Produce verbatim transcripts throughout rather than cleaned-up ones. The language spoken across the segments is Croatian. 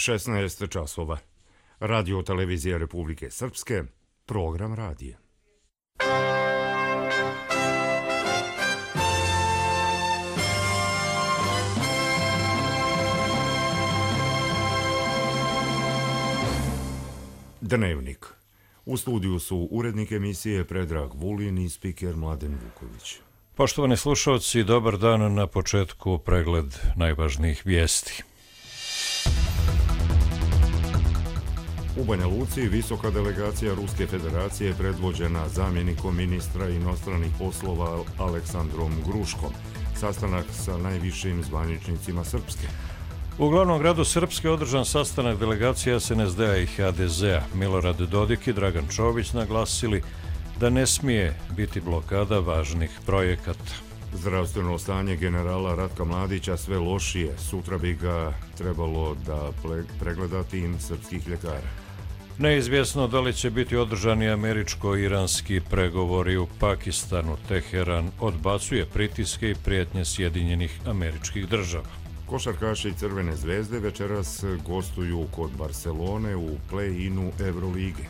šesnaest časova. Radio televizija Republike Srpske, program radija. Dnevnik. U studiju su urednik emisije Predrag Vulin i spiker Mladen Vuković. Poštovani slušalci, dobar dan. Na početku pregled najvažnijih vijesti. U Banja Luci visoka delegacija Ruske federacije predvođena zamjenikom ministra inostranih poslova Aleksandrom Gruškom. Sastanak sa najvišim zvaničnicima Srpske. U glavnom gradu Srpske održan sastanak delegacija S N S D-a i H D Z-a. Milorad Dodik i Dragan Čović naglasili da ne smije biti blokada važnih projekata. Zdravstveno stanje generala Ratka Mladića sve lošije. Sutra bi ga trebalo da pregleda tim srpskih ljekara. Neizvjesno da li će biti održani američko-iranski pregovori u Pakistanu. Teheran odbacuje pritiske i prijetnje Sjedinjenih Američkih Država. Košarkaši Crvene zvezde večeras gostuju kod Barcelone u play-inu Evrolige.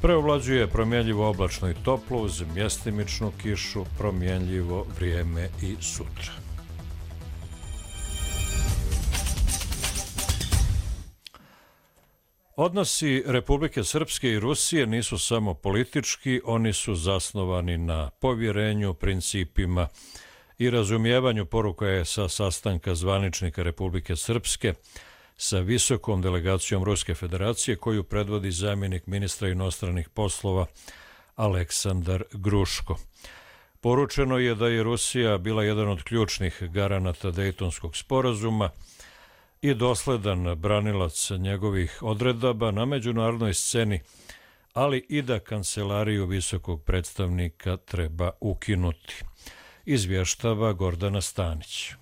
Preovlađuje promjenljivo oblačno i toplo uz mjestimičnu kišu, promjenljivo vrijeme i sutra. Odnosi Republike Srpske i Rusije nisu samo politički, oni su zasnovani na povjerenju, principima i razumijevanju, poruka je sa sastanka zvaničnika Republike Srpske sa visokom delegacijom Ruske federacije koju predvodi zamjenik ministra inostranih poslova Aleksandar Gruško. Poručeno je da je Rusija bila jedan od ključnih garanata Dejtonskog sporazuma i dosledan branilac njegovih odredaba na međunarodnoj sceni, ali i da kancelariju visokog predstavnika treba ukinuti, izvještava Gordana Stanić.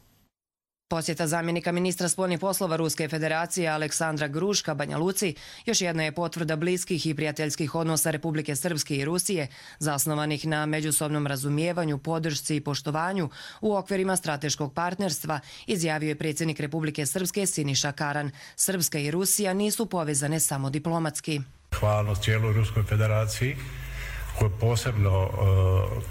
Posjeta zamjenika ministra spoljnih poslova Ruske federacije Aleksandra Gruška Banja Luci još jedna je potvrda bliskih i prijateljskih odnosa Republike Srpske i Rusije, zasnovanih na međusobnom razumijevanju, podršci i poštovanju u okvirima strateškog partnerstva, izjavio je predsjednik Republike Srpske Siniša Karan. Srpska i Rusija nisu povezane samo diplomatski. Hvalnost cijeloj Ruskoj federaciji, koji, posebno,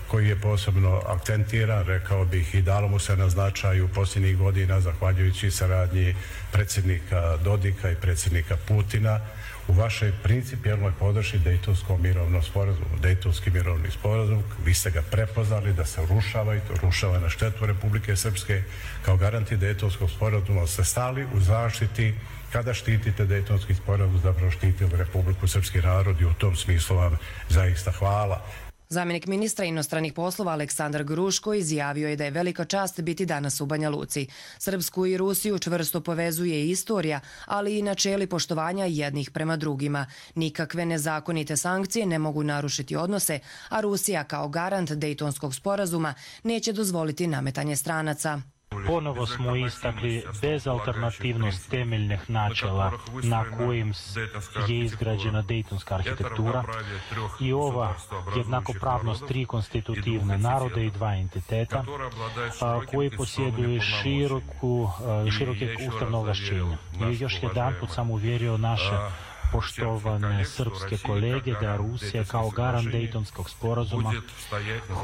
koji je posebno akcentiran, rekao bih, i dalo mu se na značaju posljednjih godina, zahvaljujući saradnji predsjednika Dodika i predsjednika Putina u vašoj principijelnoj podršci Dejtonskom mirovnom sporazumu. Dejtonski mirovni sporazum, vi ste ga prepoznali da se rušava i to rušava na štetu Republike Srpske. Kao garanti Dejtonskog sporazuma ste stali u zaštiti. Kada štitite Dejtonski sporazum, zapravo štitili Republiku Srpski narod i u tom smislu vam zaista hvala. Zamjenik ministra inostranih poslova Aleksandar Gruško izjavio je da je velika čast biti danas u Banja Luci. Srpsku i Rusiju čvrsto povezuje istorija, ali i načeli poštovanja jednih prema drugima. Nikakve nezakonite sankcije ne mogu narušiti odnose, a Rusija kao garant Dejtonskog sporazuma neće dozvoliti nametanje stranaca. Ponovo smo istakli bezalternativnost temeljnih načela na kojim je izgrađena Dejtonska arhitektura i ova jednakopravnost tri konstitutivne narode i dva entiteta koji posjeduju široku, široke ustavne ovlašćenja. I još jedan put sam uvjerio naše poštovane srpske kolege da Rusija kao garant Dejtonskog sporazuma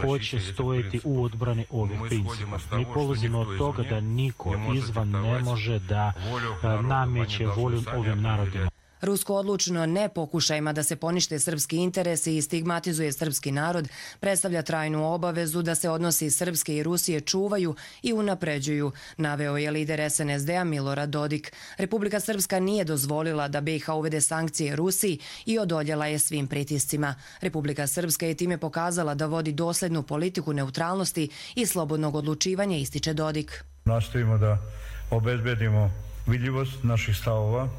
hoće stojiti u odbrani ovih principa. Mi polazimo od toga da niko izvan ne može da nameće volju ovim narodima. Rusko odlučno ne pokušajima da se ponište srpski interesi i stigmatizuje srpski narod predstavlja trajnu obavezu da se odnosi Srpske i Rusije čuvaju i unapređuju, naveo je lider S N S D-a Milorad Dodik. Republika Srpska nije dozvolila da B i H uvede sankcije Rusiji i odoljela je svim pritiscima. Republika Srpska je time pokazala da vodi dosljednu politiku neutralnosti i slobodnog odlučivanja, ističe Dodik. Nastojimo da obezbedimo vidljivost naših stavova.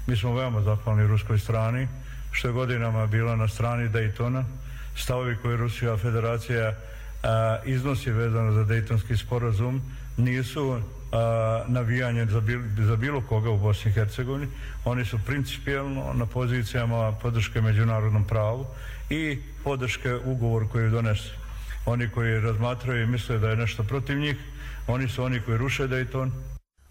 Mi smo veoma zahvalni ruskoj strani, što je godinama bila na strani Dejtona. Stavovi koje Rusija federacija a, iznosi vezano za Dejtonski sporazum nisu a, navijanje za, bil, za bilo koga u Bosni i Hercegovini. Oni su principijelno na pozicijama podrške međunarodnom pravu i podrške ugovoru koji donese. Oni koji razmatraju i misle da je nešto protiv njih, oni su oni koji ruše Dejton.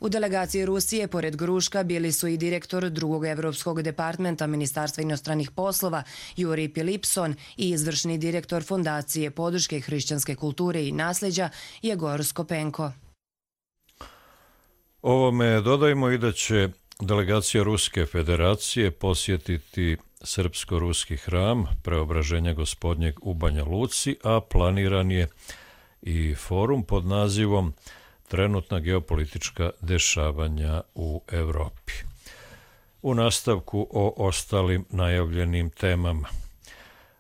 U delegaciji Rusije, pored Gruška, bili su i direktor drugog evropskog departmenta Ministarstva inostranih poslova Juri Pilipson i izvršni direktor Fondacije podrške hrišćanske kulture i nasljeđa Jegor Skopenko. Ovome dodajmo i da će delegacija Ruske federacije posjetiti srpsko-ruski hram Preobraženja Gospodnjeg u Banja Luci, a planiran je i forum pod nazivom Trenutna geopolitička dešavanja u Evropi. U nastavku o ostalim najavljenim temama.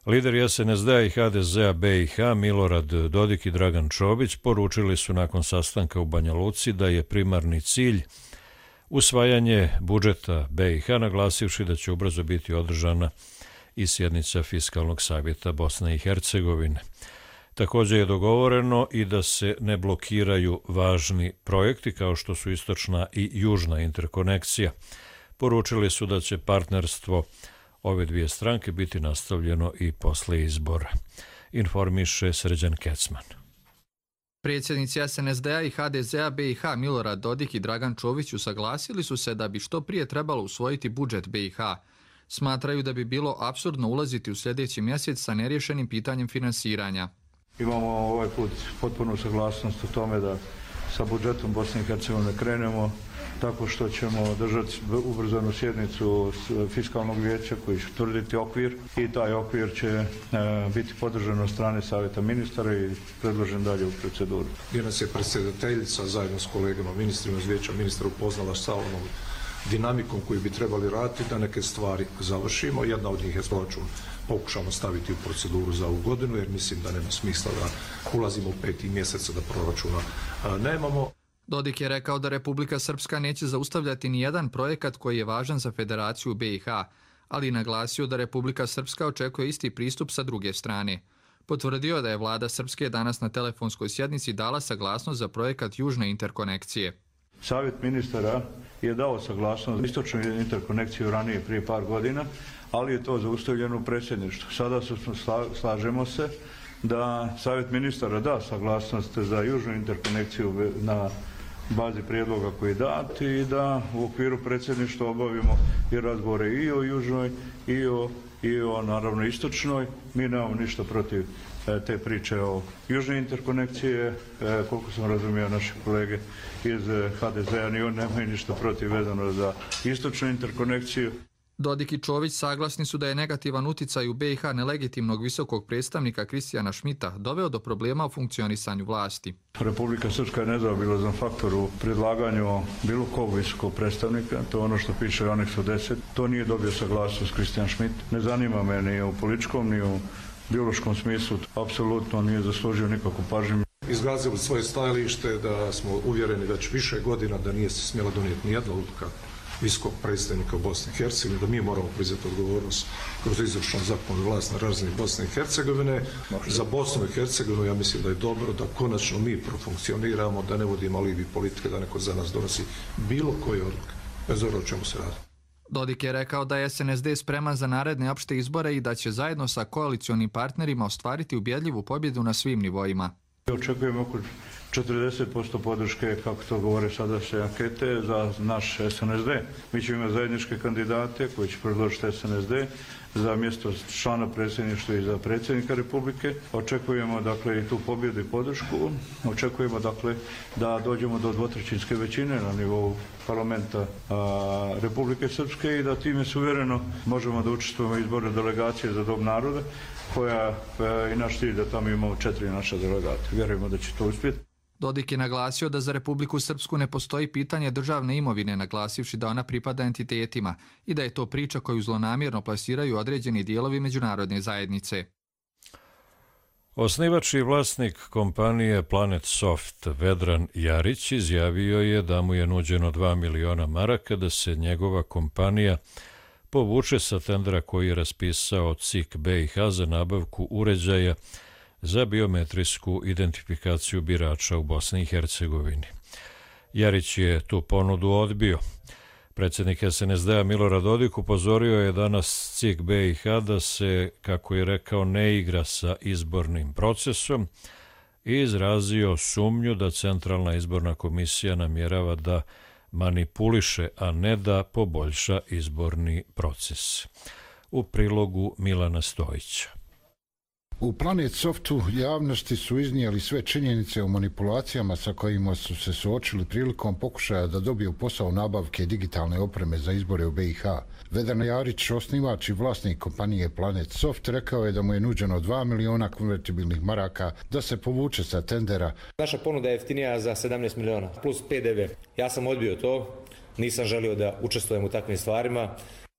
Lideri S N S D-a i H D Z-a B i H Milorad Dodik i Dragan Čović poručili su nakon sastanka u Banja Luci da je primarni cilj usvajanje budžeta B i H, naglasivši da će ubrzo biti održana i sjednica Fiskalnog savjeta Bosne i Hercegovine. Također je dogovoreno i da se ne blokiraju važni projekti kao što su istočna i južna interkonekcija. Poručili su da će partnerstvo ove dvije stranke biti nastavljeno i posle izbora. Informiše Srđan Kecman. Predsjednici S N S D-a i H D Z-a B i H Milorad Dodik i Dragan Čović usaglasili su se da bi što prije trebalo usvojiti budžet B i H. Smatraju da bi bilo apsurdno ulaziti u sljedeći mjesec sa neriješenim pitanjem finansiranja. Imamo ovaj put potpunu saglasnost o tome da sa budžetom Bosne i Hercegovine krenemo tako što ćemo držati ubrzanu sjednicu Fiskalnog vijeća koji će utvrditi okvir i taj okvir će e, biti podržan od strane Savjeta ministara i predložen dalje u proceduru. Gdje nas je predsjedateljica zajedno s kolegama ministrima iz vijeća ministra upoznala sa onom dinamikom koju bi trebali raditi da neke stvari završimo. Jedna od njih je proračun pokušamo staviti u proceduru za ovu godinu jer mislim da nema smisla da ulazimo u peti mjeseca da proračuna a, nemamo. Dodik je rekao da Republika Srpska neće zaustavljati ni jedan projekat koji je važan za Federaciju B i H, ali naglasio da Republika Srpska očekuje isti pristup sa druge strane. Potvrdio da je vlada Srpske danas na telefonskoj sjednici dala saglasnost za projekat južne interkonekcije. Savjet ministara je dao saglasnost za istočnu interkonekciju ranije prije par godina, ali je to zaustavljeno u predsjedništvu. Sada su, slažemo se da Savjet ministara da saglasnost za južnu interkonekciju na bazi prijedloga koji je dat i da u okviru predsjedništva obavimo i razgovore i o južnoj i o, i o naravno istočnoj. Mi nemamo ništa protiv te priče o južnoj interkonekcije, koliko sam razumio naše kolege iz H D Z-a, ni oni nemaju ništa protiv vezano za istočnu interkonekciju. Dodik i Čović saglasni su da je negativan uticaj u B i H nelegitimnog visokog predstavnika Kristijana Šmita doveo do problema u funkcionisanju vlasti. Republika Srpska je nezaobilazan faktor u predlaganju bilo kog visokog predstavnika, to je ono što piše u aneksu deset. To nije dobio saglasnost Kristijan Šmit. Ne zanima me ni u političkom, ni u biološkom smislu. Apsolutno nije zaslužio nikakvu pažnju. Izrazili svoje stajalište da smo uvjereni već više godina da nije se smjela donijeti nijedna odluka visokog predstavnika u Bosni i Hercegovini, da mi moramo preuzeti odgovornost kroz izvršnu zakonodavnu vlast na razini Bosne i Hercegovine. Za Bosnu i Hercegovinu ja mislim da je dobro da konačno mi profunkcioniramo, da ne vodimo alibi politike, da neko za nas donosi bilo koje odluke, bez obzira o čemu se radi. Dodik je rekao da je S N S D spreman za naredne opšte izbore i da će zajedno sa koalicionim partnerima ostvariti ubjedljivu pobjedu na svim nivoima. Očekujemo oko četrdeset posto podrške, kako to govore sadašnje ankete, za naš S N S D. Mi ćemo imati zajedničke kandidate koji će predložiti S N S D za mjesto člana predsjedništva i za predsjednika Republike. Očekujemo dakle i tu pobjedu i podršku. Očekujemo dakle da dođemo do dvotrećinske većine na nivou parlamenta a, Republike Srpske i da time suvereno možemo da učestvujemo izbore delegacije za dom naroda, koja je i naš cilj da tamo imamo četiri naša delegata. Vjerujemo da će to uspjeti. Dodik je naglasio da za Republiku Srpsku ne postoji pitanje državne imovine, naglasivši da ona pripada entitetima i da je to priča koju zlonamjerno plasiraju određeni dijelovi međunarodne zajednice. Osnivač i vlasnik kompanije Planet Soft Vedran Jarić izjavio je da mu je nuđeno dva miliona maraka da se njegova kompanija povuče sa tendera koji je raspisao C I K B i H za nabavku uređaja za biometrijsku identifikaciju birača u Bosni i Hercegovini. Jarić je tu ponudu odbio. Predsjednik S N S D-a Milorad Dodik upozorio je danas C I K B i H da se, kako je rekao, ne igra sa izbornim procesom i izrazio sumnju da Centralna izborna komisija namjerava da manipuliše, a ne da poboljša izborni proces. U prilogu Milana Stojića. U Planet Softu javnosti su iznijeli sve činjenice o manipulacijama sa kojima su se suočili prilikom pokušaja da dobiju posao nabavke digitalne opreme za izbore u B i H. Vedran Jarić, osnivač i vlasnik kompanije Planet Soft, rekao je da mu je nuđeno dva miliona konvertibilnih maraka da se povuče sa tendera. Naša ponuda je jeftinija za sedamnaest miliona, plus P D V. Ja sam odbio to, nisam želio da učestvujem u takvim stvarima.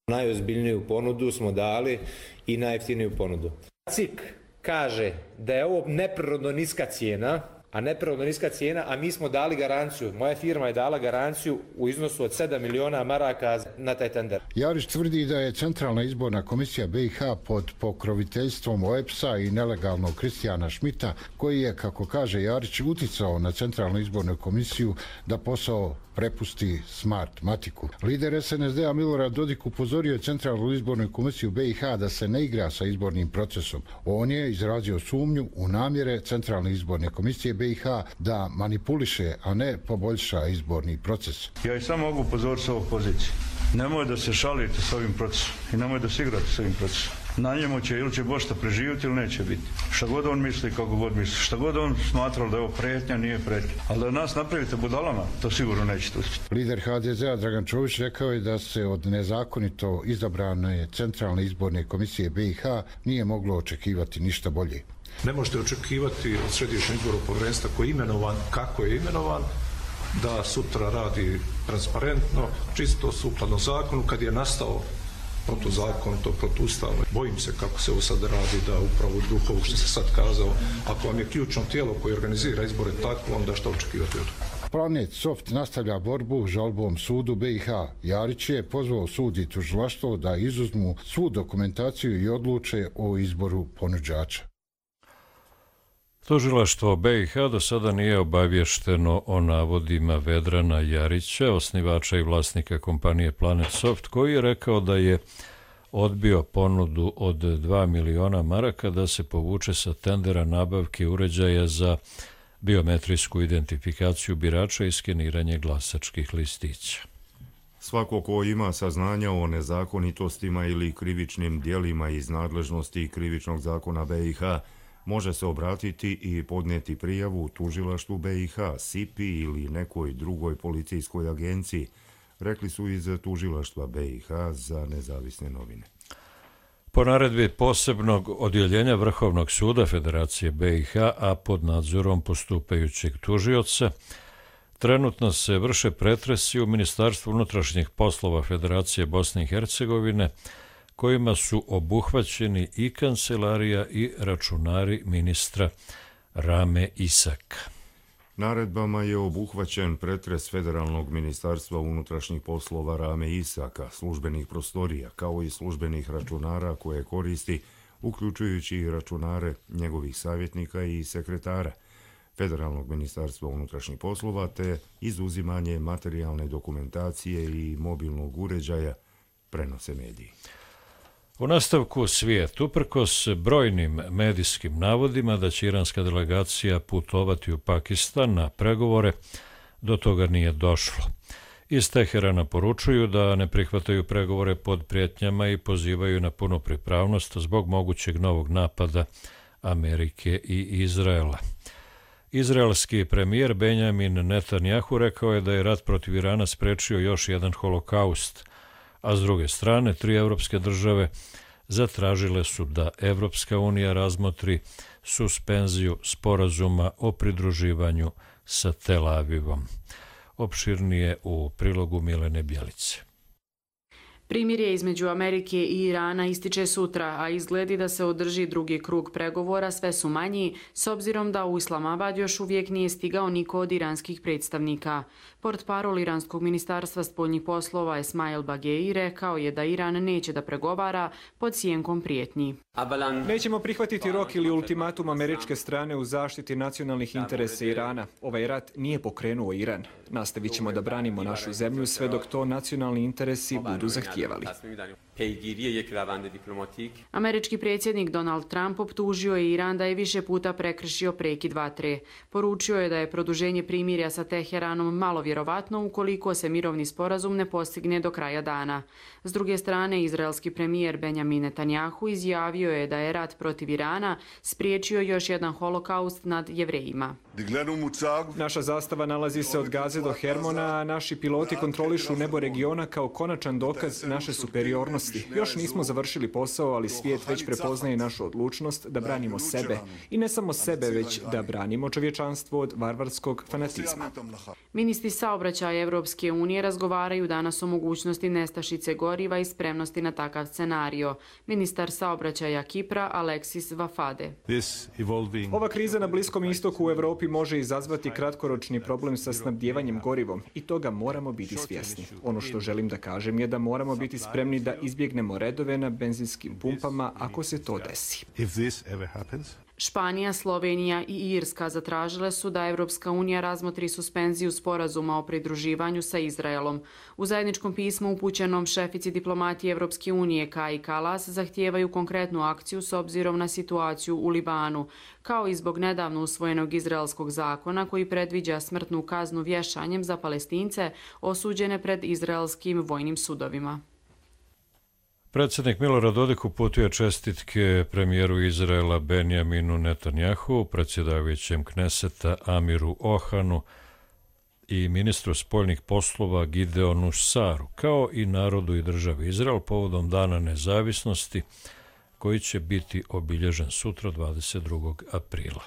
Najozbiljniju ponudu smo dali i najjeftiniju ponudu. C I K kaže da je ovo neprirodno niska cijena, a neprirodno niska cijena, a mi smo dali garanciju. Moja firma je dala garanciju u iznosu od sedam miliona maraka na taj tender. Jarić tvrdi da je Centralna izborna komisija B i H pod pokroviteljstvom O E P S-a i nelegalnog Kristijana Šmita, koji je, kako kaže Jarić, uticao na Centralnu izbornu komisiju da posao prepusti Smartmatiku. Lider S N S D-a Milorad Dodik upozorio je Centralnu izbornu komisiju B i H da se ne igra sa izbornim procesom. On je izrazio sumnju u namjere Centralne izborne komisije B i H da manipuliše, a ne poboljša izborni proces. Ja i samo mogu upozoriti s ovog pozicije. Nemoj da se šalite s ovim procesom i nemoj da se igrate s ovim procesom. Na njemu će ili će Bošta preživjeti ili neće biti. Šta god on misli, kako god misli. Šta god on smatrao da je ovo prijetnja, nije prijetnja. Ali da nas napravite budalama, to sigurno nećete uspjeti. Lider H D Z-a Dragan Čović rekao je da se od nezakonito izabrane Centralne izborne komisije B i H nije moglo očekivati ništa bolje. Ne možete očekivati od Središnjeg izbornog povjerenstva koji je imenovan, kako je imenovan, da sutra radi transparentno, čisto sukladno zakonu, kad je nastao protuzakonito, protuustavno. Bojim se kako se ovo sad radi, da upravo u duhu što se sad kazao, ako vam je ključno tijelo koje organizira izbore tako, onda što očekivati od toga. Planet Soft nastavlja borbu žalbom sudu B i H. Jarić je pozvao sud i tužilaštvo da izuzmu svu dokumentaciju i odluče o izboru ponuđača. Tužilaštvo B i H do sada nije obavješteno o navodima Vedrana Jarića, osnivača i vlasnika kompanije Planet Soft, koji je rekao da je odbio ponudu od dva miliona maraka da se povuče sa tendera nabavke uređaja za biometrijsku identifikaciju birača i skeniranje glasačkih listića. Svako ko ima saznanja o nezakonitostima ili krivičnim djelima iz nadležnosti krivičnog zakona B i H može se obratiti i podnijeti prijavu u tužilaštvu B i H, S I P I ili nekoj drugoj policijskoj agenciji, rekli su iz tužilaštva B i H za Nezavisne novine. Po naredbi posebnog odjeljenja Vrhovnog suda Federacije B i H, a pod nadzorom postupajućeg tužioca, trenutno se vrše pretresi u Ministarstvu unutrašnjih poslova Federacije Bosne i Hercegovine, kojima su obuhvaćeni i kancelarija i računari ministra Rame Isaka. Naredbama je obuhvaćen pretres Federalnog ministarstva unutrašnjih poslova Rame Isaka, službenih prostorija, kao i službenih računara koje koristi, uključujući i računare njegovih savjetnika i sekretara Federalnog ministarstva unutrašnjih poslova, te izuzimanje materijalne dokumentacije i mobilnog uređaja, prenose mediji. U nastavku svijet, uprkos brojnim medijskim navodima da će iranska delegacija putovati u Pakistan na pregovore, do toga nije došlo. Iz Teherana poručuju da ne prihvataju pregovore pod prijetnjama i pozivaju na punu pripravnost zbog mogućeg novog napada Amerike i Izraela. Izraelski premijer Benjamin Netanjahu rekao je da je rat protiv Irana sprečio još jedan holokaust, a s druge strane, tri evropske države zatražile su da Evropska unija razmotri suspenziju sporazuma o pridruživanju sa Tel Avivom. Opširnije u prilogu Milene Bjelice. Primirje između Amerike i Irana ističe sutra, a izgledi da se održi drugi krug pregovora sve su manji, s obzirom da u Islamabad još uvijek nije stigao niko od iranskih predstavnika. Portparol Iranskog ministarstva spoljnih poslova Esmail Bagei rekao je da Iran neće da pregovara pod sjenkom prijetnji. Nećemo prihvatiti rok ili ultimatum američke strane u zaštiti nacionalnih interesa Irana. Ovaj rat nije pokrenuo Iran. Nastavit ćemo da branimo našu zemlju sve dok to nacionalni interesi budu zahtijevali. zahtijevali. Američki predsjednik Donald Trump optužio je Iran da je više puta prekršio prekid vatre. Poručio je da je produženje primirja sa Teheranom malo vjerovatno ukoliko se mirovni sporazum ne postigne do kraja dana. S druge strane, izraelski premijer Benjamin Netanjahu izjavio je da je rat protiv Irana spriječio još jedan holokaust nad Jevrejima. Naša zastava nalazi se od Gaze do Hermona, a naši piloti kontrolišu nebo regiona kao konačan dokaz naše superiornosti. Još nismo završili posao, ali svijet već prepoznaje našu odlučnost da branimo sebe. I ne samo sebe, već da branimo čovječanstvo od varvarskog fanatizma. Ministri saobraćaja Evropske unije razgovaraju danas o mogućnosti nestašice goriva i spremnosti na takav scenario. Ministar saobraćaja Kipra Aleksis Vafade. Ova kriza na Bliskom istoku u Europi može izazvati kratkoročni problem sa snabdijevanjem gorivom i toga moramo biti svjesni. Ono što želim da kažem je da moramo biti spremni da izbjegnemo redove na benzinskim pumpama ako se to desi. Španija, Slovenija i Irska zatražile su da Evropska unija razmotri suspenziju sporazuma o pridruživanju sa Izraelom. U zajedničkom pismu upućenom šefici diplomatije Evropske unije Kaji Kalas zahtijevaju konkretnu akciju s obzirom na situaciju u Libanu, kao i zbog nedavno usvojenog izraelskog zakona koji predviđa smrtnu kaznu vješanjem za Palestince osuđene pred izraelskim vojnim sudovima. Predsjednik Milorad Dodik uputio čestitke premijeru Izraela Benjaminu Netanjahu, predsjedavajućem Kneseta Amiru Ohanu i ministru spoljnih poslova Gideonu Saru, kao i narodu i državi Izrael povodom Dana nezavisnosti, koji će biti obilježen sutra dvadeset drugog aprila.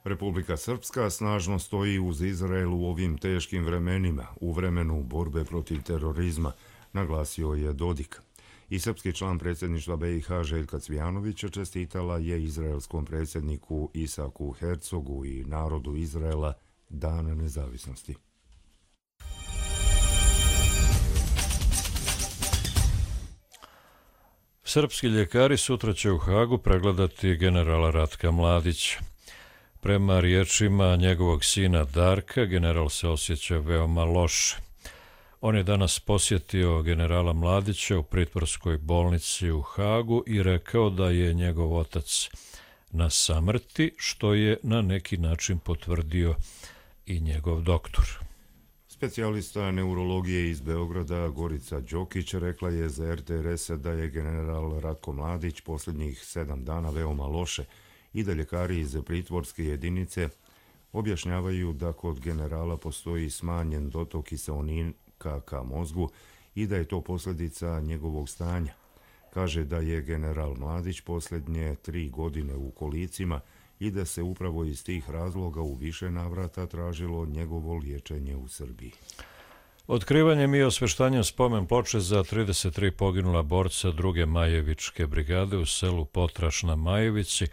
Republika Srpska snažno stoji uz Izrael u ovim teškim vremenima, u vremenu borbe protiv terorizma, naglasio je Dodik. I srpski član predsjedništva B i H Željka Cvijanovića čestitala je izraelskom predsjedniku Isaku Hercogu i narodu Izraela Dana nezavisnosti. Srpski ljekari sutra će u Hagu pregledati generala Ratka Mladića. Prema riječima njegovog sina Darka, general se osjeća veoma loše. On je danas posjetio generala Mladića u pritvorskoj bolnici u Hagu i rekao da je njegov otac na samrti, što je na neki način potvrdio i njegov doktor. Specijalista neurologije iz Beograda Gorica Đokić rekla je za R T R S da je general Ratko Mladić posljednjih sedam dana veoma loše i da ljekari iz pritvorske jedinice objašnjavaju da kod generala postoji smanjen dotok kiseonika ka mozgu i da je to posljedica njegovog stanja. Kaže da je general Mladić posljednje tri godine u kolicima i da se upravo iz tih razloga u više navrata tražilo njegovo liječenje u Srbiji. Otkrivanjem i osveštanjem spomen ploče za trideset tri poginula borca druge Majevičke brigade u selu Potraš na Majevici,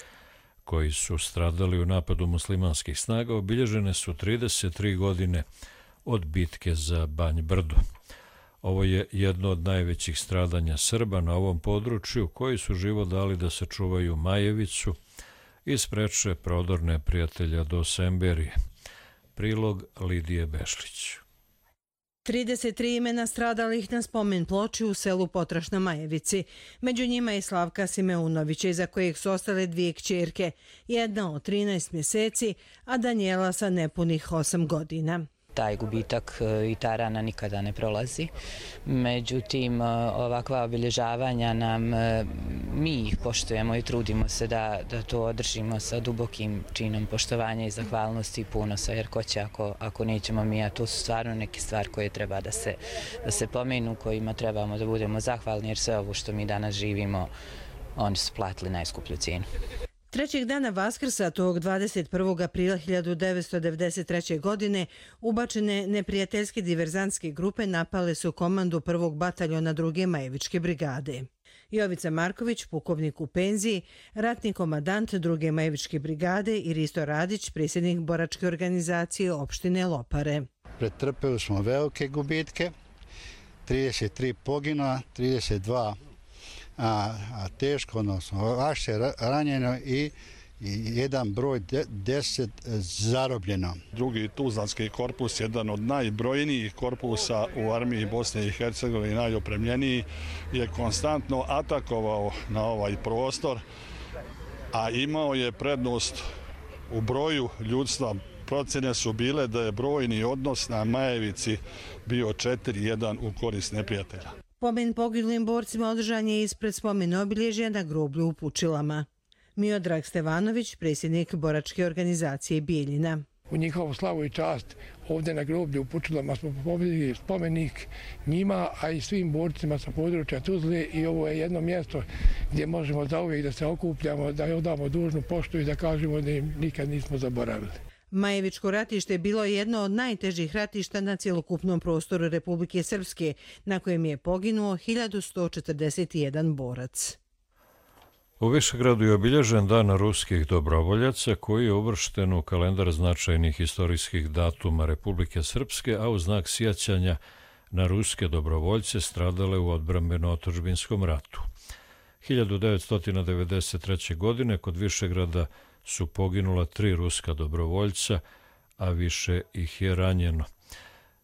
koji su stradali u napadu muslimanskih snaga, obilježene su trideset tri godine od bitke za Banj Brdo. Ovo je jedno od najvećih stradanja Srba na ovom području, koji su život dali da sačuvaju Majevicu i spreče prodor neprijatelja do Semberije. Prilog Lidije Bešlić. trideset tri imena stradalih na spomen ploči u selu Potraš na Majevici. Među njima je Slavka Simeunović, iza kojeg su ostale dvije kćerke, jedna od trinaest mjeseci, a Danijela sa nepunih osam godina. Taj gubitak i ta rana nikada ne prolazi. Međutim, ovakva obilježavanja nam, mi ih poštujemo i trudimo se da, da to održimo sa dubokim činom poštovanja i zahvalnosti i punosa, jer ko će ako, ako nećemo mi, a to su stvarno neke stvari koje treba da se, da se pomenu, kojima trebamo da budemo zahvalni, jer sve ovo što mi danas živimo, oni su platili najskuplju cijenu. Trećeg dana Vaskrsa, tog dvadeset prvog aprila hiljadu devetsto devedeset treće. godine, ubačene neprijateljske diverzantske grupe napale su komandu prvog bataljona druge Majevičke brigade. Jovica Marković, pukovnik u penziji, ratni komadant druge Majevičke brigade i Risto Radić, predsjednik boračke organizacije opštine Lopare. Pretrpeli smo velike gubitke, trideset tri pogina, trideset dva A, a teško, odnosno vaše ranjeno i i jedan broj deset zarobljeno. Drugi Tuzlanski korpus, jedan od najbrojnijih korpusa u armiji Bosne i Hercegovine, najopremljeniji, je konstantno atakovao na ovaj prostor, a imao je prednost u broju ljudstva. Procjene su bile da je brojni odnos na Majevici bio četiri jedan u korist neprijatelja. Pomen poginulim borcima održan je ispred spomena obilježja na groblju u Pučilama. Miodrag Stevanović, predsjednik boračke organizacije Bijeljina. U njihovu slavu i čast ovdje na groblju u Pučilama smo postavili spomenik njima, a i svim borcima sa područja Tuzle, i ovo je jedno mjesto gdje možemo zauvijek da se okupljamo, da odamo dužnu poštu i da kažemo da im nikad nismo zaboravili. Majevičko ratište je bilo jedno od najtežih ratišta na cjelokupnom prostoru Republike Srpske, na kojem je poginuo hiljadu sto četrdeset jedan borac. U Višegradu je obilježen dan ruskih dobrovoljaca koji je uvršten u kalendar značajnih istorijskih datuma Republike Srpske, a u znak sjećanja na ruske dobrovoljce stradale u odbrambeno-otadžbinskom ratu. hiljadu devetsto devedeset treće. godine kod Višegrada su poginula tri ruska dobrovoljca, a više ih je ranjeno.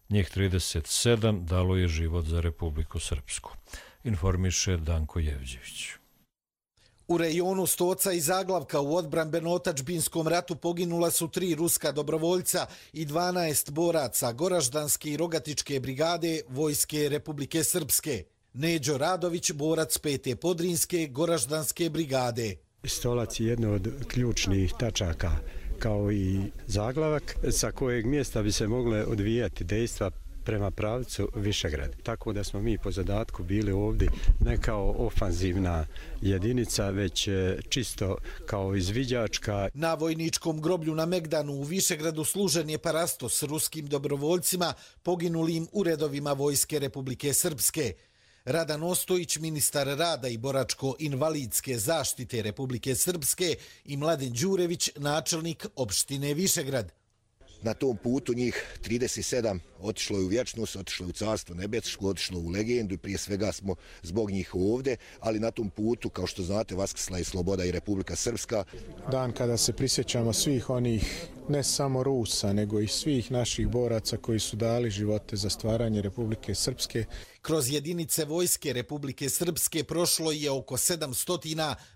Njih trideset sedam dalo je život za Republiku Srpsku, informiše Danko Jevđević. U rejonu Stoca i Zaglavka u odbrambeno-otadžbinskom ratu poginula su tri ruska dobrovoljca i dvanaest boraca Goraždanske i Rogatičke brigade Vojske Republike Srpske. Neđo Radović, borac pete Podrinske Goraždanske brigade. Stolac je jedno od ključnih tačaka, kao i Zaglavak, sa kojeg mjesta bi se mogle odvijati dejstva prema pravcu Višegrad. Tako da smo mi po zadatku bili ovdje ne kao ofanzivna jedinica, već čisto kao izviđačka. Na vojničkom groblju na Megdanu u Višegradu služen je parasto s ruskim dobrovoljcima poginulim u redovima Vojske Republike Srpske. Radan Ostojić, ministar rada i boračko-invalidske zaštite Republike Srpske, i Mladen Đurević, načelnik opštine Višegrad. Na tom putu njih trideset sedam otišlo je u vječnost, otišlo je u carstvo nebesko, otišlo u legendu i prije svega smo zbog njih ovdje, ali na tom putu, kao što znate, vaskrsla je sloboda i Republika Srpska. Dan kada se prisjećamo svih onih, ne samo Rusa, nego i svih naših boraca koji su dali živote za stvaranje Republike Srpske. Kroz jedinice Vojske Republike Srpske prošlo je oko sedamsto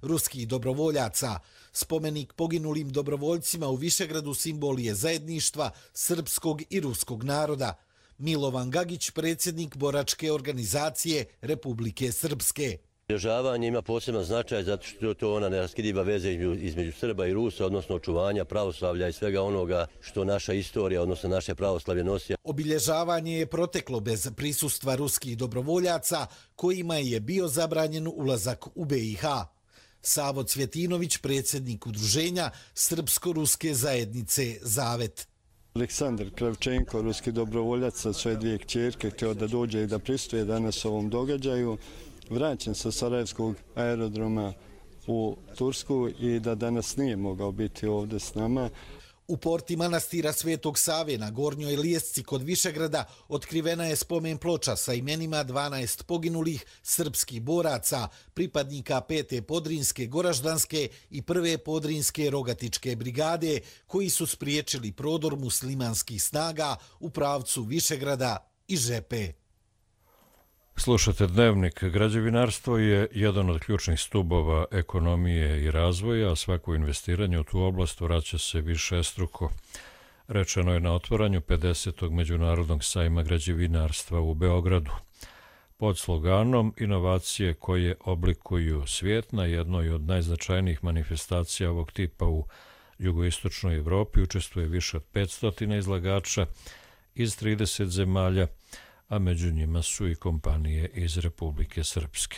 ruskih dobrovoljaca. Spomenik poginulim dobrovoljcima u Višegradu simbol je zajedništva srpskog i ruskog naroda. Milovan Gagić, predsjednik boračke organizacije Republike Srpske. Obilježavanje ima poseban značaj zato što je to ona neraskidiva veza između Srba i Rusa, odnosno očuvanja pravoslavlja i svega onoga što naša istorija, odnosno naše pravoslavlje nosi. Obilježavanje je proteklo bez prisustva ruskih dobrovoljaca kojima je bio zabranjen ulazak u B i H. Savo Cvjetinović, predsjednik udruženja Srpsko-ruske zajednice Zavet. Aleksandar Kravčenko, ruski dobrovoljac sa svoje dvije kćerke, htio da dođe i da prisustuje danas ovom događaju. Vraćen sa Sarajevskog aerodroma u Tursku i da danas nije mogao biti ovdje s nama. U porti manastira Svetog Save na Gornjoj Lijesci kod Višegrada otkrivena je spomen ploča sa imenima dvanaest poginulih srpskih boraca, pripadnika pete Podrinske Goraždanske i prve Podrinske Rogatičke brigade, koji su spriječili prodor muslimanskih snaga u pravcu Višegrada i Žepe. Slušate Dnevnik. Građevinarstvo je jedan od ključnih stubova ekonomije i razvoja, a svako investiranje u tu oblast vraća se višestruko. Rečeno je na otvaranju pedesetog međunarodnog sajma građevinarstva u Beogradu. Pod sloganom inovacije koje oblikuju svijet na jednoj od najznačajnijih manifestacija ovog tipa u jugoistočnoj Evropi učestvuje više od petsto izlagača iz trideset zemalja, a među njima su i kompanije iz Republike Srpske.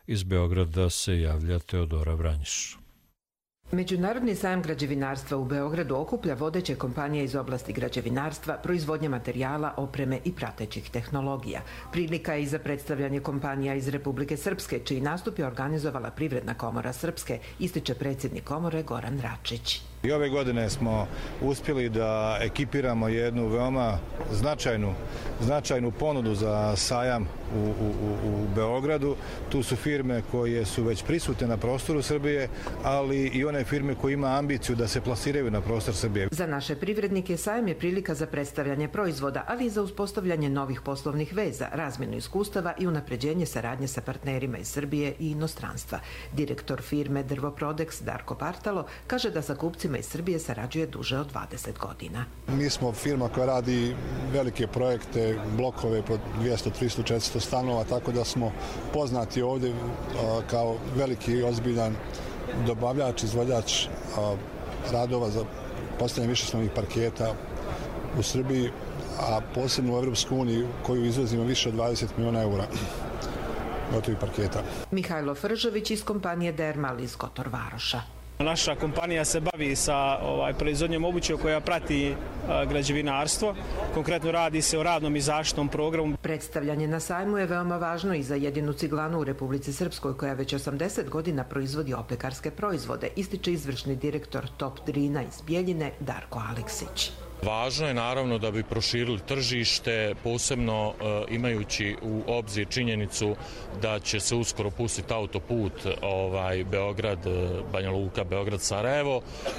Iz Beograda se javlja Teodora Vranjiš. Međunarodni sajam građevinarstva u Beogradu okuplja vodeće kompanije iz oblasti građevinarstva, proizvodnje materijala, opreme i pratećih tehnologija. Prilika je i za predstavljanje kompanija iz Republike Srpske, čiji nastup je organizovala Privredna komora Srpske, ističe predsjednik komore Goran Račić. I ove godine smo uspjeli da ekipiramo jednu veoma značajnu, značajnu ponudu za sajam u, u, u Beogradu. Tu su firme koje su već prisutne na prostoru Srbije, ali i one firme koje ima ambiciju da se plasiraju na prostor Srbije. Za naše privrednike sajam je prilika za predstavljanje proizvoda, ali i za uspostavljanje novih poslovnih veza, razmjenu iskustava i unapređenje saradnje sa partnerima iz Srbije i inostranstva. Direktor firme Drvoprodex Darko Partalo kaže da sa kupcima iz Srbije sarađuje duže od dvadeset godina. Mi smo firma koja radi velike projekte, blokove po dvjesto, tristo, četiristo stanova, tako da smo poznati ovdje kao veliki i ozbiljan dobavljač, izvođač radova za postavljanje višeslovnih parketa u Srbiji, a posebno u Evropsku uniju koju izvozimo više od dvadeset miliona eura gotovih parketa. Mihajlo Fržović iz kompanije Dermal iz Kotor Varoša. Naša kompanija se bavi sa ovaj, proizvodnjom obuće koja prati a, građevinarstvo. Konkretno radi se o radnom i zaštitnom programu. Predstavljanje na sajmu je veoma važno i za jedinu ciglanu u Republici Srpskoj koja već osamdeset godina proizvodi oplekarske proizvode, ističe izvršni direktor Top Drina iz Bijeljine Darko Aleksić. Važno je naravno da bi proširili tržište, posebno e, imajući u obzir činjenicu da će se uskoro pustiti autoput ovaj, Beograd, Banja Luka, Beograd, Sarajevo, e,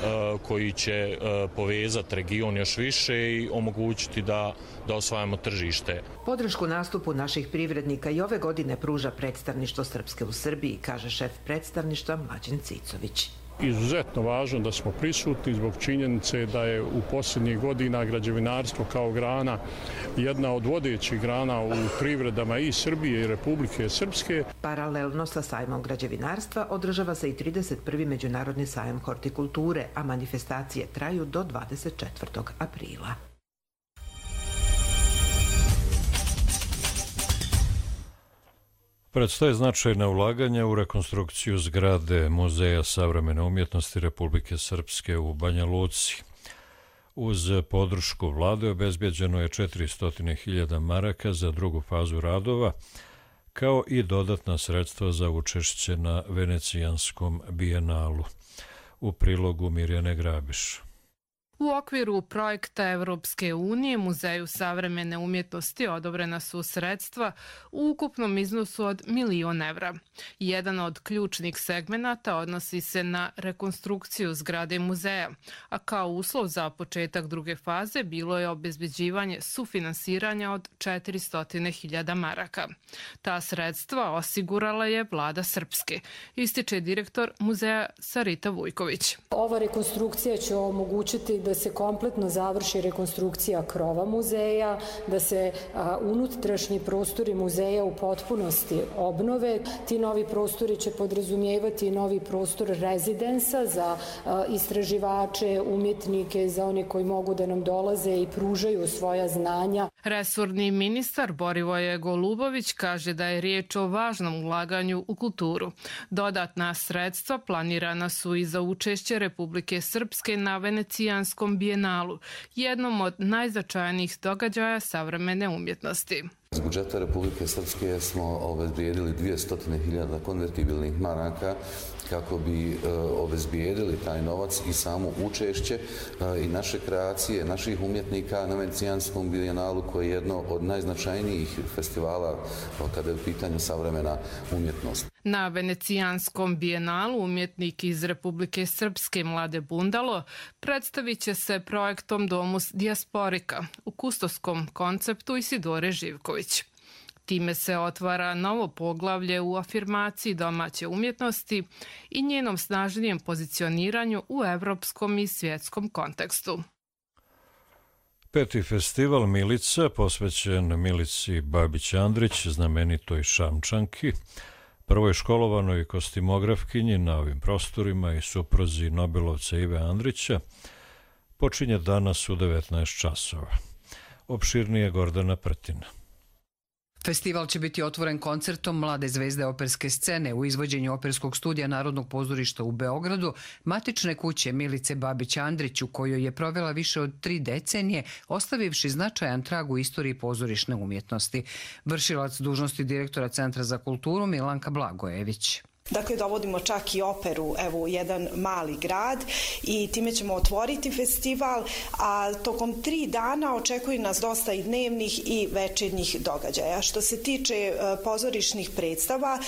koji će e, povezati region još više i omogućiti da, da osvajamo tržište. Podršku nastupu naših privrednika i ove godine pruža predstavništvo Srpske u Srbiji, kaže šef predstavništva Mlađan Cicović. Izuzetno važno da smo prisutni zbog činjenice da je u posljednjih godina građevinarstvo kao grana jedna od vodećih grana u privredama i Srbije i Republike Srpske. Paralelno sa sajmom građevinarstva održava se i trideset prvi međunarodni sajam hortikulture, a manifestacije traju do dvadeset četvrtog aprila. Predstoje značajna ulaganja u rekonstrukciju zgrade Muzeja savremene umjetnosti Republike Srpske u Banja Luci. Uz podršku vlade obezbjeđeno je četiristo hiljada maraka za drugu fazu radova, kao i dodatna sredstva za učešće na Venecijanskom bijenalu. U prilogu Mirjane Grabiš. U okviru projekta Evropske unije Muzeju savremene umjetnosti odobrena su sredstva u ukupnom iznosu od milion evra. Jedan od ključnih segmenata odnosi se na rekonstrukciju zgrade muzeja, a kao uslov za početak druge faze bilo je obezbeđivanje sufinansiranja od četiristo hiljada maraka. Ta sredstva osigurala je vlada Srpske, ističe direktor muzeja Sarita Vujković. Ova rekonstrukcija će omogućiti da se kompletno završi rekonstrukcija krova muzeja, da se a, unutrašnji prostori muzeja u potpunosti obnove. Ti novi prostori će podrazumijevati novi prostor rezidensa za a, istraživače, umjetnike, za one koji mogu da nam dolaze i pružaju svoja znanja. Resorni ministar Borivoje Golubović kaže da je riječ o važnom ulaganju u kulturu. Dodatna sredstva planirana su i za učešće Republike Srpske na Venecijanskom bijenalu, jednom od najznačajnijih događaja savremene umjetnosti. Iz budžeta Republike Srpske smo obezbijedili dvjesto hiljada konvertibilnih maraka kako bi e, obezbijedili taj novac i samo učešće e, i naše kreacije, naših umjetnika na Venecijanskom bijenalu, koji je jedno od najznačajnijih festivala kada je u pitanju savremena umjetnost. Na Venecijanskom bijenalu umjetnik iz Republike Srpske Mlade Bundalo predstavit će se projektom Domus Dijasporika u kustoskom konceptu Isidore Živković. Time se otvara novo poglavlje u afirmaciji domaće umjetnosti i njenom snažnijem pozicioniranju u evropskom i svjetskom kontekstu. Peti festival Milica, posvećen Milici Babić-Andrić, znamenitoj Šamčanki, prvoj školovanoj kostimografkinji na ovim prostorima i supruzi Nobelovca Ive Andrića, počinje danas u devetnaest časova. Opširnije Gordana Prtina. Festival će biti otvoren koncertom mlade zvezde operske scene u izvođenju Operskog studija Narodnog pozorišta u Beogradu, matične kuće Milice Babić-Andrić, u kojoj je provela više od tri decenije, ostavivši značajan trag u istoriji pozorišne umjetnosti. Vršilac dužnosti direktora Centra za kulturu Milanka Blagojević. Dakle, dovodimo čak i operu evo, u jedan mali grad i time ćemo otvoriti festival, a tokom tri dana očekuje nas dosta i dnevnih i večernjih događaja. Što se tiče pozorišnih predstava,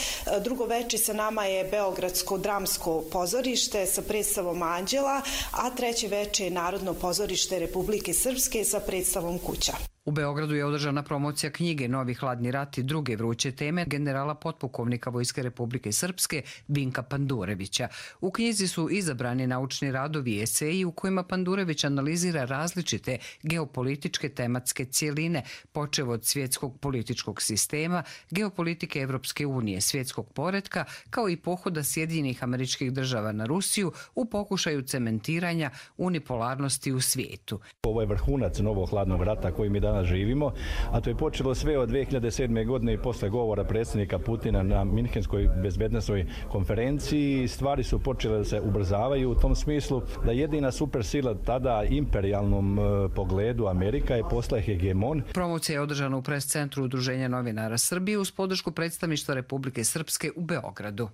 drugo veče sa nama je Beogradsko dramsko pozorište sa predstavom Anđela, a treće veče je Narodno pozorište Republike Srpske sa predstavom Kuća. U Beogradu je održana promocija knjige Novi hladni rat i druge vruće teme generala potpukovnika Vojske Republike Srpske Vinka Pandurevića. U knjizi su izabrani naučni radovi i eseji u kojima Pandurević analizira različite geopolitičke tematske cijeline, počev od svjetskog političkog sistema, geopolitike Evropske unije, svjetskog poretka, kao i pohoda Sjedinjenih Američkih Država na Rusiju u pokušaju cementiranja unipolarnosti u svijetu. Ovo je vrhunac novog hladnog rata koji mi danas živimo, a to je počelo sve od dve hiljade sedme. godine i posle govora predsjednika Putina na Minhenskoj bezbednosnoj konferenciji. Stvari su počele da se ubrzavaju u tom smislu da jedina supersila tada imperijalnom pogledu Amerika je postala hegemon. Promocija je održana u pres centru Udruženja novinara Srbije uz podršku predstavništva Republike Srpske u Beogradu.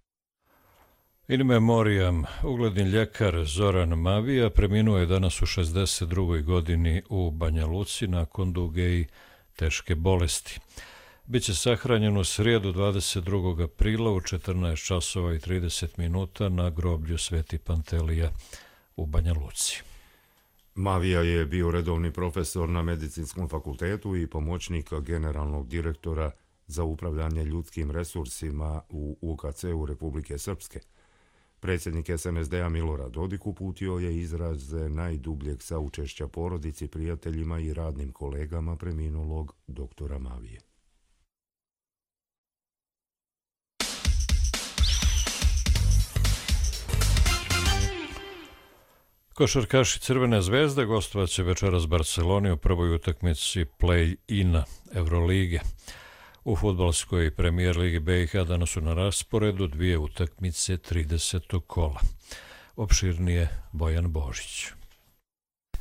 In memoriam, ugledni ljekar Zoran Mavija preminuo je danas u šezdeset drugoj godini u Banja Luci nakon duge i teške bolesti. Biće sahranjen u srijedu dvadeset drugog aprila u četrnaest časova i trideset minuta na groblju Sveti Pantelija u Banja Luci. Mavija je bio redovni profesor na Medicinskom fakultetu i pomoćnik generalnog direktora za upravljanje ljudskim resursima u U K C-u Republike Srpske. Predsjednik S N S D-a Milorad Dodik uputio je izraze najdubljeg saučešća porodici, prijateljima i radnim kolegama preminulog doktora Mavije. Košarkaši Crvene zvezde gostovaće večeras Barceloni u prvoj utakmici play-ina Eurolige. U fudbalskoj premijer ligi B i H danas su na rasporedu dvije utakmice tridesetog kola. Opširnije Bojan Božić.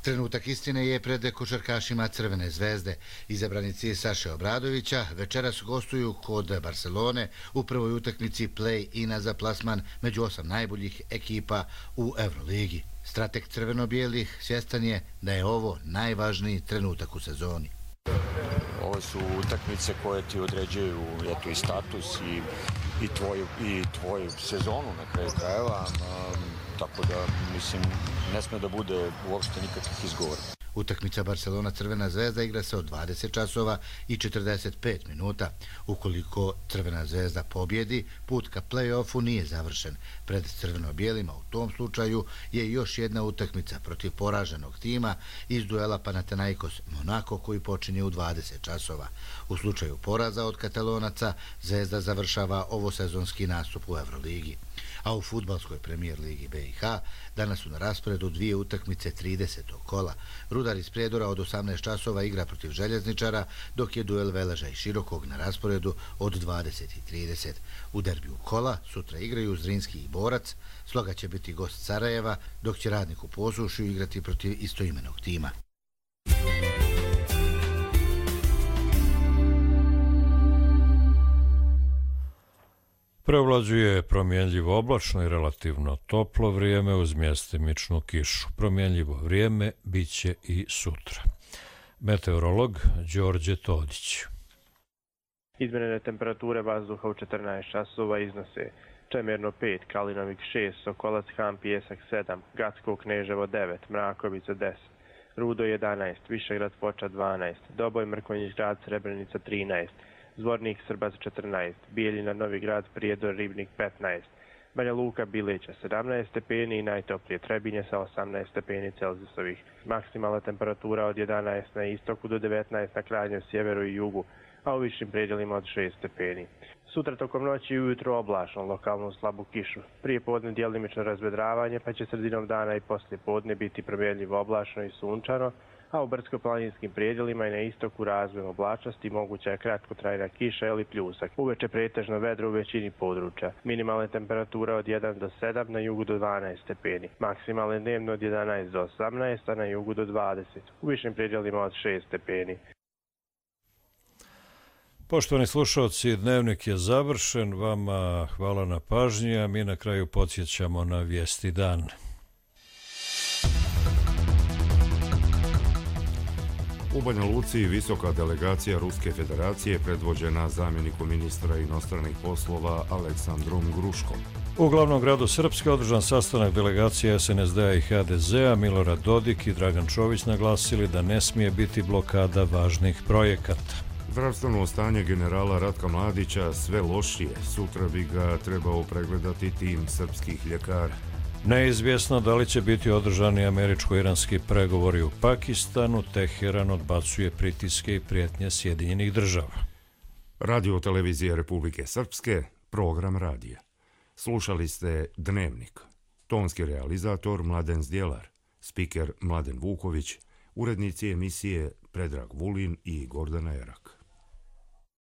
Trenutak istine je pred košarkašima Crvene zvezde. Izabranici Saše Obradovića večeras gostuju kod Barcelone u prvoj utakmici play-ina za plasman među osam najboljih ekipa u Euroligi. Strateg crveno-bijelih svjestan je da je ovo najvažniji trenutak u sezoni. Ovo su utakmice koje ti određuju eto, i status i, i, tvoju, i tvoju sezonu na kraju krajeva, um, tako da mislim ne sme da bude uopšte nikakvih izgovora. Utakmica Barcelona-Crvena zvezda igra se od dvadeset časova i četrdeset pet minuta. Ukoliko Crvena zvezda pobjedi, put ka play-offu nije završen. Pred crveno-bijelima u tom slučaju je još jedna utakmica protiv poraženog tima iz duela Panathinaikos-Monako koji počinje u dvadeset časova. U slučaju poraza od Katalonaca, Zvezda završava ovosezonski nastup u Euroligi. A u fudbalskoj premijer ligi B i H danas su na rasporedu dvije utakmice tridesetog kola. Rudar iz Prijedora od osamnaest časova igra protiv Željezničara, dok je duel Veleža i Širokog na rasporedu od dvadeset i trideset. U derbiju kola sutra igraju Zrinski i Borac, Sloga će biti gost Sarajeva, dok će Radnik u Posušju igrati protiv istoimenog tima. Preovlađuje promjenljivo oblačno i relativno toplo vrijeme uz mjestimičnu kišu. Promjenljivo vrijeme biće i sutra. Meteorolog Đorđe Todić. Izmjerene temperature vazduha u četrnaest časova iznose Čemerno pet, Kalinovik šest, Sokolac Han Pijesak sedam, Gacko Kneževo devet, Mrakovica deset, Rudo jedanaest, Višegrad Foča dvanaest, Doboj Mrkonjić Grad Srebrenica trinaest, Zvornik Srbac četrnaest, Bijeljina Novi Grad Prijedor Ribnik petnaest, Banja Luka Bileća sedamnaest stepeni i najtoplije Trebinje sa osamnaest stepeni Celzijusovih. Maksimalna temperatura od jedanaest na istoku do devetnaest na krajnjem sjeveru i jugu, a u višim predjelima od šest stepeni. Sutra tokom noći i ujutro oblačno, lokalnu slabu kišu. Prije podne djelimično razvedravanje, pa će sredinom dana i poslije podne biti promjenljivo oblačno i sunčano, a u brdsko-planinskim predjelima i na istoku razvojem oblačnosti moguća je kratkotrajna kiša ili pljusak. Uveče pretežno vedro u većini područja. Minimalna temperatura od jedan do sedam, na jugu do dvanaest stepeni. Maksimalne dnevno od jedanaest do osamnaest, a na jugu do dvadeset. U višim predjelima od šest stepeni. Poštovani slušalci, dnevnik je završen, vama hvala na pažnji, a mi na kraju podsjećamo na vijesti dan. U Banja Luci visoka delegacija Ruske federacije predvođena zamjenikom ministra inostranih poslova Aleksandrom Gruškom. U glavnom gradu Srpske održan sastanak delegacije S N S D-a i H D Z-a. Milorad Dodik i Dragan Čović naglasili da ne smije biti blokada važnih projekata. Zdravstveno stanje generala Ratka Mladića sve lošije. Sutra bi ga trebao pregledati tim srpskih ljekara. Neizvjesno da li će biti održani američko-iranski pregovori u Pakistanu, Teheran odbacuje pritiske i prijetnje Sjedinjenih država. Radio televizije Republike Srpske, program radija. Slušali ste Dnevnik. Tonski realizator Mladen Zdjelar, spiker Mladen Vuković, urednici emisije Predrag Vulin i Gordana Erak.